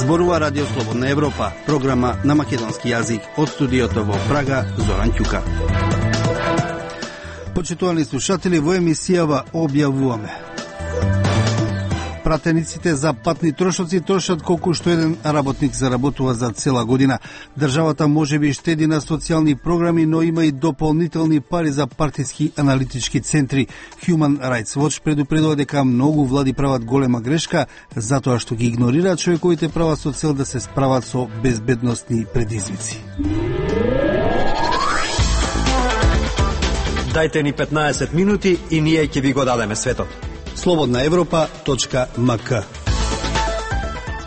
Зборува Радио Слободна Европа, програма на македонски јазик од студиото во Прага, Зоран Ќука. Почитувани слушатели, во емисијава објавуваме: пратениците за патни трошоци трошат колку што еден работник заработува за цела година. Државата можеби штеди на социјални програми, но има и дополнителни пари за партиски аналитички центри. Human Rights Watch предупредува дека многу влади прават голема грешка затоа што ги игнорираат човековите права со цел да се справат со безбедносни предизвици. Дајте ни 15 минути и ние ќе ви го дадеме светот. slobodnaevropa.mk.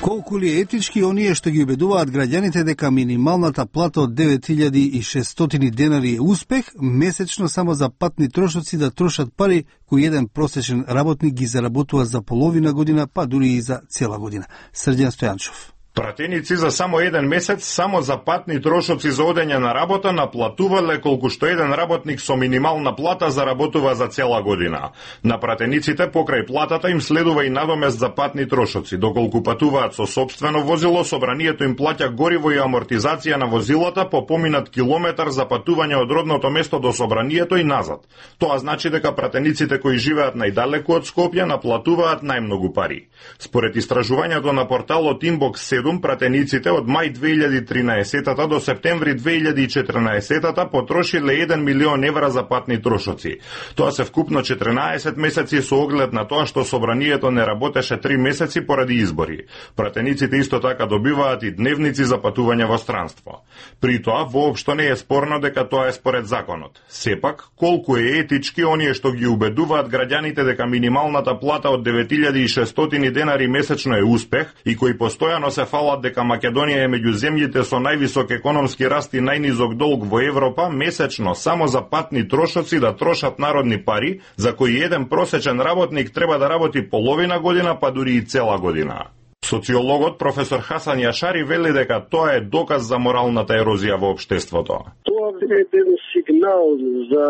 Колку ли е етички оние што ги убедуваат граѓаните дека минималната плата од 9600 денари е успех, месечно само за патни трошоци да трошат пари кои еден просечен работник ги заработува за половина година, па дури и за цела година. Срđan Стојанчов. Пратеници за само еден месец, само за патни трошоци за одење на работа наплатувале колку што еден работник со минимална плата заработува за цела година. На пратениците покрај платата им следува и надомест за патни трошоци. Доколку патуваат со сопствено возило, собранието им плаќа гориво и амортизација на возилата по поминат километар за патување од родното место до собранието и назад. Тоа значи дека пратениците кои живеат најдалеку од Скопје наплатуваат најмногу пари. Според истражувањето на порталот Inbox, пратениците од мај 2013 до септември 2014 потрошиле 1 милион евра за патни трошоци. Тоа се вкупно 14 месеци со оглед на тоа што собранието не работеше 3 месеци поради избори. Пратениците исто така добиваат и дневници за патување во странство. При тоа воопшто не е спорно дека тоа е според законот. Сепак, колку е етички оние што ги убедуваат граѓаните дека минималната плата од 9600 денари месечно е успех и кои постојано се фалат дека Македонија е меѓу земјите со највисок економски раст и најнизок долг во Европа, месечно само за патни трошоци да трошат народни пари, за кои еден просечен работник треба да работи половина година, па дури и цела година. Социологот професор Хасан Јашари вели дека тоа е доказ за моралната ерозија во општеството. Тоа е еден сигнал за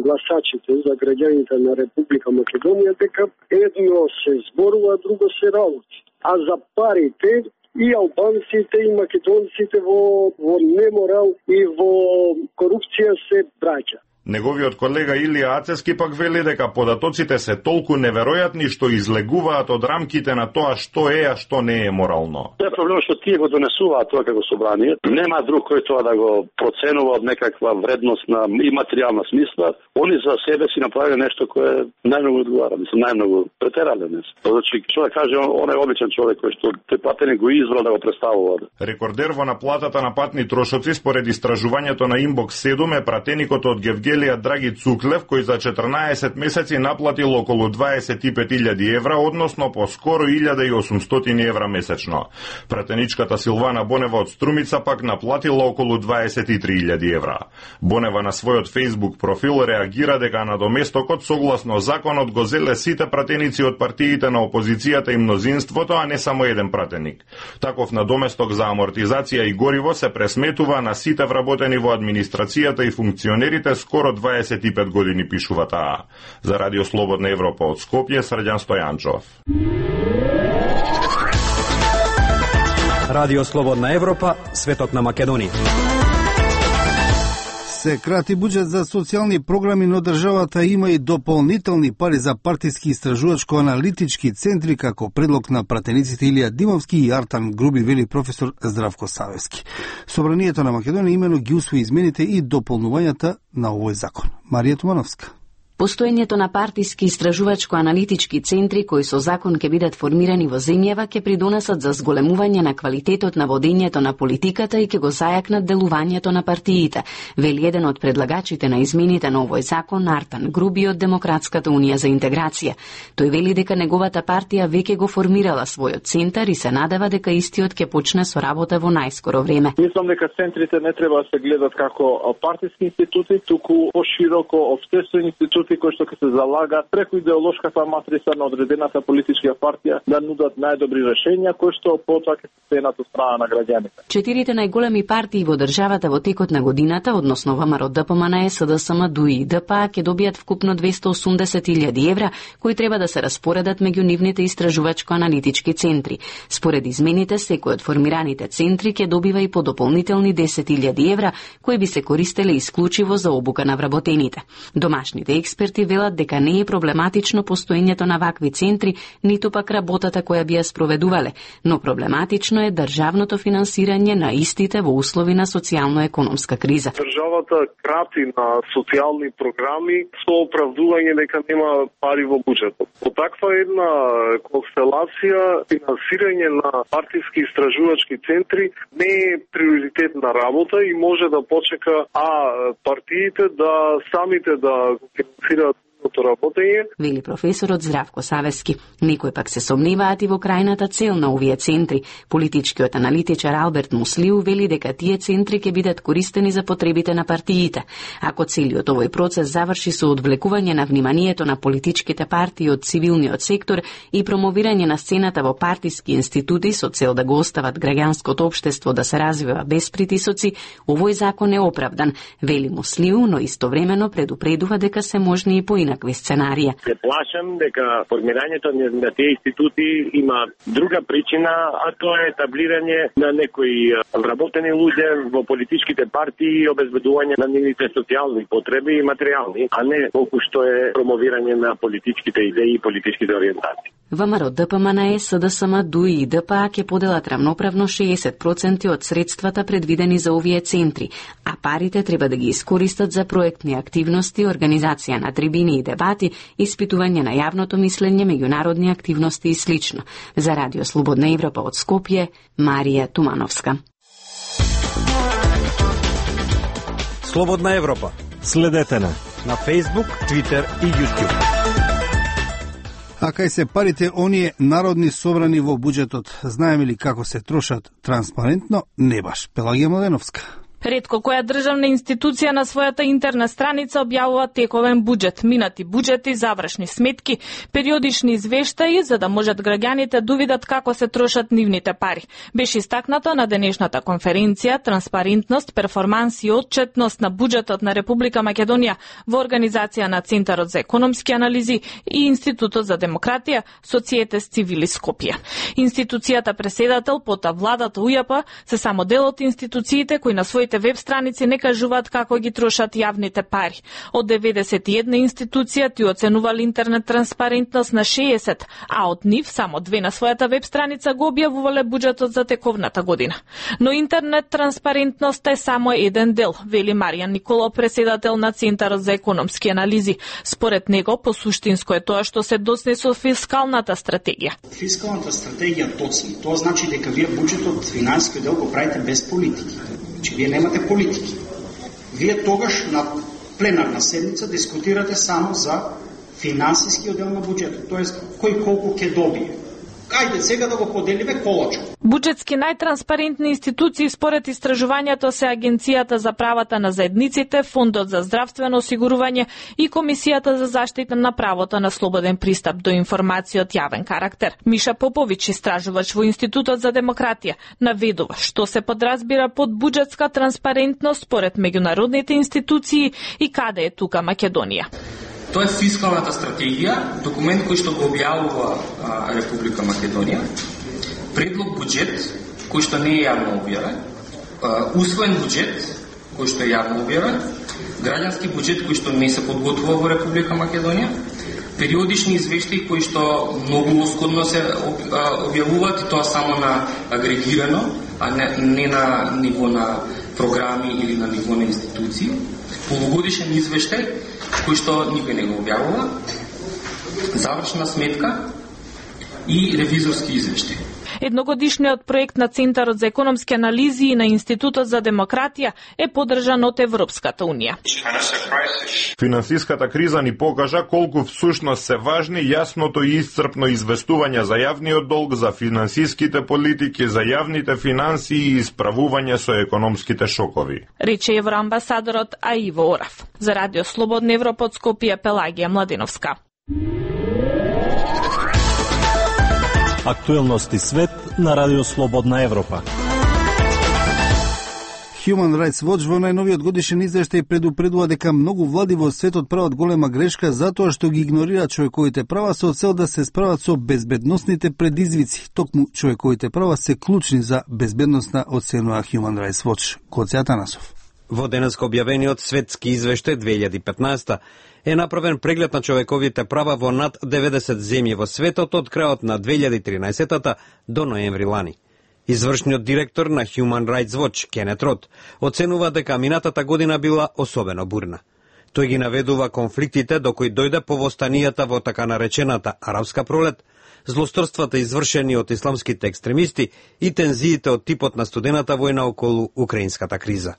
гласачите, за граѓаните на Република Македонија дека едно се зборува, друго се работи. А за парите и албанците и македонците во неморал и во корупција се браќа. Неговиот колега Илија Ацески пак вели дека податоците се толку неверојатни што излегуваат од рамките на тоа што е, а што не е морално. Тоа е проблем што тие го донесуваат тоа како собрание. Нема друг кој тоа да го проценува од некаква вредност на и материјална смисла. Они за себе си направиле нешто кое најмногу одговара, најмногу претерале днес. Значи, што да каже, он е обичен човек кој што тој патеник го избрал да го представува. Рекордер во наплатата на патни трошоци според истражувањето на Inbox 7 е пратеникот од Гевгелија Драги Цуклев, кој за 14 месеци наплатил околу 25.000 евра, односно по скоро 1.800 евра месечно. Пратеничката Силвана Бонева од Струмица пак наплатила околу 23.000 евра. Бонева на својот Facebook профил реагира дека надоместокот согласно законот го зеле сите пратеници од партиите на опозицијата и мнозинството, а не само еден пратеник. Таков надоместок за амортизација и гориво се пресметува на сите вработени во администрацијата и функционерите скоро 25 години, пишува таа. За Радио Слободна Европа од Скопје, Срđan Стојанчов. Радио Слободна Европа, светот на Македонија. Се крати буџет за социјални програми, но државата има и дополнителни пари за партиски истражувачко-аналитички центри, како предлог на пратениците Илија Димовски и Артан Груби, вели професор Здравко Савевски. Собранието на Македонија имено ги усвои измените и дополнувањата на овој закон. Марија Тумановска. Постоењето на партиски истражувачко-аналитички центри кои со закон ќе бидат формирани во земјава ќе придонесат за зголемување на квалитетот на водењето на политиката и ќе го зајакнат делувањето на партиите, вели еден од предлагачите на измените на овој закон, Артан Груби од Демократската унија за интеграција. Тој вели дека неговата партија веќе го формирала својот центар и се надева дека истиот ќе почне со работа во најскоро време. Мислам дека центрите не треба да се гледат како партиски институти, туку пошироко општествени институти институти кои што ќе се залагат преку идеолошката матрица на одредената политичка партија да нудат најдобри решенија кои што потоа ќе се ценат од страна на граѓаните. Четирите најголеми партии во државата во текот на годината, односно ВМРО, ДПМНЕ, СДСМ, ДУИ и ДПА, ќе добијат вкупно 280.000 евра кои треба да се распоредат меѓу нивните истражувачко-аналитички центри. Според измените, секој од формираните центри ќе добива и по дополнителни 10.000 евра кои би се користеле исклучиво за обука на вработените. Домашните експерти велат дека не е проблематично постоењето на вакви центри, ниту пак работата која би ја спроведувале, но проблематично е државното финансирање на истите во услови на социјално-економска криза. Државата крати на социјални програми со оправдување дека нема пари во буџетот. По таква една констелација, финансирање на партиски истражувачки центри не е приоритетна работа и може да почека партиите да самите да финансираат работење. Вели професорот Здравко Савески. Некои пак се сомневаат и во крајната цел на овие центри. Политичкиот аналитичар Алберт Муслиу вели дека тие центри ќе бидат користени за потребите на партиите. Ако целиот овој процес заврши со одвлекување на вниманието на политичките партии од цивилниот сектор и промовирање на сцената во партиски институти со цел да го остават граѓанското општество да се развива без притисоци, овој закон е оправдан, вели Муслиу, но истовремено предупредува дека се можни и поинакви сценарија. Се плашам дека формирањето на тие институти има друга причина, а тоа е таблирање на некои вработени луѓе во политичките партии и обезбедување на нивните социјални потреби и материјални, а не колку што е промовирање на политичките идеи и политичките ориентации. ВМРО, ДПМНЕ, СДСМ, ДУИ и ДПА ќе поделат равноправно 60% од средствата предвидени за овие центри, а парите треба да ги искористат за проектни активности, организација на трибини и дебати, испитување на јавното мислење, меѓународни активности и слично. За Радио Слободна Европа од Скопје, Марија Тумановска. Слободна Европа. Следете на Facebook, Twitter и YouTube. А кај се парите оние народни собрани во буџетот, знаеме ли како се трошат транспарентно? Не баш. Пелагија Младеновска. Ретко која државна институција на својата интерна страница објавува тековен буџет, минати буџети, завршни сметки, периодични извештаи за да можат граѓаните да видат како се трошат нивните пари. Беше истакнато на денешната конференција Транспарентност, перформанс и отчетност на буџетот на Република Македонија во организација на Центарот за економски анализи и Институтот за демократија, Societas Civilis Skopje. Институцијата преседател, пота владата УЈП се само дел од институциите кои на своите веб страници не кажуваат како ги трошат јавните пари. Од 91 институција ти оценували интернет транспарентност на 60, а од нив само 2 на својата веб страница го објавувале буџетот за тековната година. Но интернет транспарентност е само еден дел, вели Маријан Николов, преседател на Центарот за економски анализи. Според него, посуштинско е тоа што се досне со фискалната стратегија. Фискалната стратегија точно. Тоа значи дека вие буџетот, финансискиот дел го правите без политики. Че вие немате политики. Вие тогаш на пленарна седница дискутирате само за финансискиот дел на буџетот, тоест кој колку ќе добие. Ајде сега да го поделиме колочко. Буџетски најтранспарентни институции според истражувањето се Агенцијата за правата на заедниците, Фондот за здравствено осигурување и Комисијата за заштита на правото на слободен пристап до информација од јавен карактер. Миша Поповиќ, истражувач во Институтот за демократија, наведува што се подразбира под буџетска транспарентност според меѓународните институции и каде е тука Македонија. Тоа е фискалната стратегија, документ кој што го објавува Република Македонија, предлог буџет кој што не е јавно објавен, усвоен буџет кој што е јавно објавен, граѓански буџет кој што не се подготвува во Република Македонија, периодични извештаи кои што многу оскудно се објавуваат и тоа само на агрегирано, а не на ниво на програми или на ниво на институции, полугодишен извештај кој што никој не го објавува, завршна сметка и ревизорски извештај. Едногодишниот проект на Центарот за економски анализи и на Институтот за демократија е поддржан од Европската унија. Финансиската криза ни покажа колку всушност се важни јасното и исцрпно известување за јавниот долг, за финансиските политики, за јавните финансии и исправување со економските шокови. Рече евроамбасадорот Аиво Орав. За Радио Слободна Европа од Скопје, Пелагија Младеновска. Актуелности свет на Радио Слободна Европа. Human Rights Watch во најновиот годишен извештај предупредува дека многу влади во светот прават голема грешка затоа што ги игнорираат човековите права со цел да се справат со безбедносните предизвици. Токму човековите права се клучни за безбедноста, оценува Human Rights Watch. Коци Атанасов. Во денеска објавениот светски извештај 2015 е направен преглед на човековите права во над 90 земји во светот од крајот на 2013 до ноември лани. Извршниот директор на Human Rights Watch, Кенет Рот, оценува дека минатата година била особено бурна. Тој ги наведува конфликтите до кои дојде по востанијата во така наречената арапска пролет, злосторствата извршени од исламските екстремисти и тензиите од типот на студената војна околу украинската криза.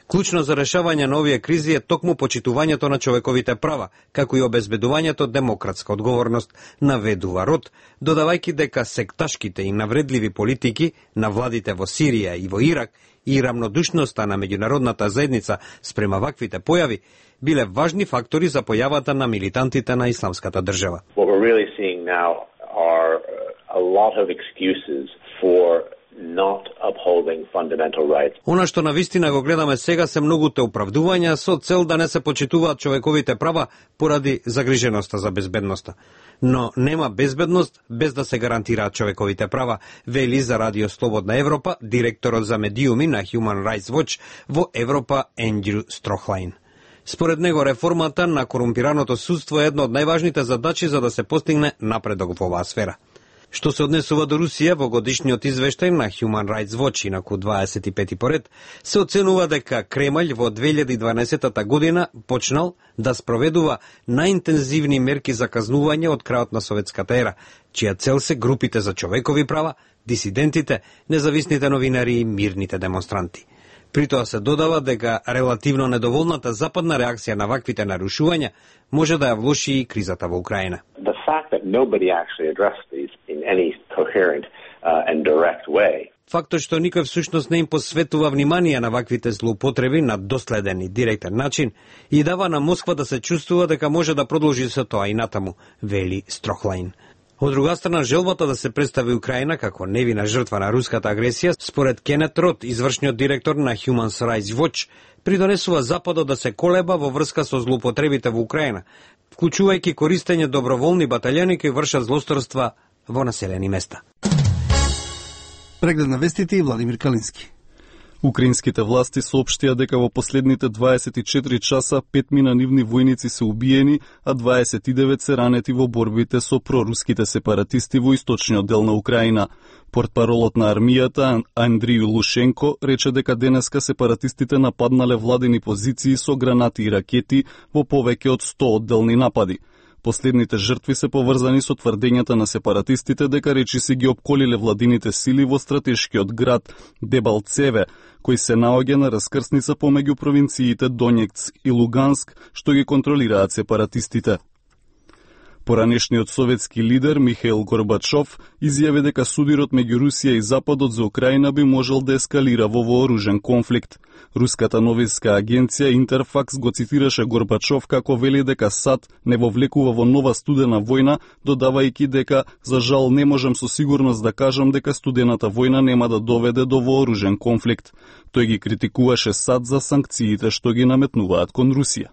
Клучно за решавање на овие кризи е токму почитувањето на човековите права, како и обезбедувањето демократска одговорност, наведува Рот, додавајќи дека секташките и навредливи политики на владите во Сирија и во Ирак и рамнодушноста на меѓународната заедница спрема ваквите појави биле важни фактори за појавата на милитантите на исламската држава. What we're really seeing now are a lot of excuses for not upholding fundamental rights. Она што навистина го гледаме сега се многуте оправдувања со цел да не се почитуваат човековите права поради загриженоста за безбедноста. Но нема безбедност без да се гарантираат човековите права, вели за Радио Слободна Европа директорот за медиуми на Human Rights Watch во Европа Ендрю Строхлайн. Според него реформата на корумпираното судство е една од најважните задачи за да се постигне напредок во оваа сфера. Што се однесува до Русија, во годишниот извештај на Human Rights Watch, инаку 25 поред, се оценува дека Кремљ во 2012 година почнал да спроведува најинтензивни мерки за казнување од крајот на советската ера, чија цел се групите за човекови права, дисидентите, независните новинари и мирните демонстранти. При тоа се додава дека релативно недоволната западна реакција на ваквите нарушувања може да ја влоши и кризата во Украина. The fact that nobody actually addressed these in any coherent and direct way. Фактот што никој всушност не им посветува внимание на ваквите злоупотреби на доследен и директен начин и дава на Москва да се чувствува дека може да продолжи со тоа и натаму, вели Строхлайн. Од друга страна, желбата да се представи Украина како невина жртва на руската агресија, според Кенет Рот, извршниот директор на Human Rights Watch, придонесува Западот да се колеба во врска со злоупотребите во Украина, вклучувајќи користење доброволни баталјони кои вршат злосторства во населени места. Преглед на вестите и Владимир Калински. Украинските власти соопштија дека во последните 24 часа 5 минанивни војници се убиени, а 29 се ранети во борбите со проруските сепаратисти во источниот дел на Украина. Портпаролот на армијата Андрiju Лушенко рече дека денеска сепаратистите нападнале владени позиции со гранати и ракети во повеќе од 100 одделни напади. Последните жртви се поврзани со тврдењата на сепаратистите дека речиси ги опколиле владините сили во стратешкиот град Дебалцеве, кој се наоѓа на раскрсница помеѓу провинциите Донецк и Луганск, што ги контролираат сепаратистите. Поранешниот советски лидер Михаил Горбачов изјави дека судирот меѓу Русија и Западот за Украина би можел да ескалира во вооружен конфликт. Руската новинска агенција Интерфакс го цитираше Горбачов како вели дека САД не вовлекува во нова студена војна, додавајќи дека за жал не можам со сигурност да кажам дека студената војна нема да доведе до вооружен конфликт. Тој ги критикуваше САД за санкциите што ги наметнуваат кон Русија.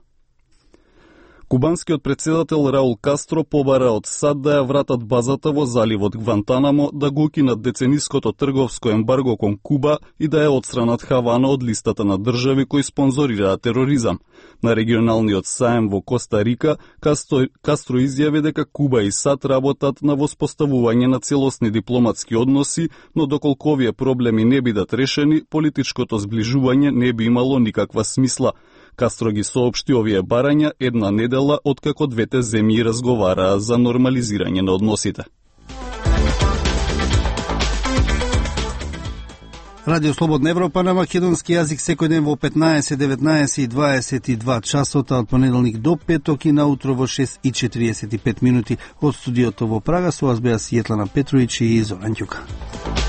Кубанскиот председател Раул Кастро побара од САД да ја вратат базата во заливот Гвантанамо, да го укинат децениското трговско ембарго кон Куба и да ја отстранат Хавана од листата на држави кои спонзорираат тероризам. На регионалниот саем во Коста Рика, Кастро изјави дека Куба и САД работат на воспоставување на целосни дипломатски односи, но доколку овие проблеми не бидат решени, политичкото зближување не би имало никаква смисла. Кастро ги соопшти овие барања една недела откако двете земји разговараа за нормализирање на односите. Радио Слободна Европа на македонски јазик секој ден во 15, 19 и 22 часота од понеделник до петок и наутро во 6:45 од студиото во Прага. Со вас беа Светлана Петровиќ и Зоран Ѓука.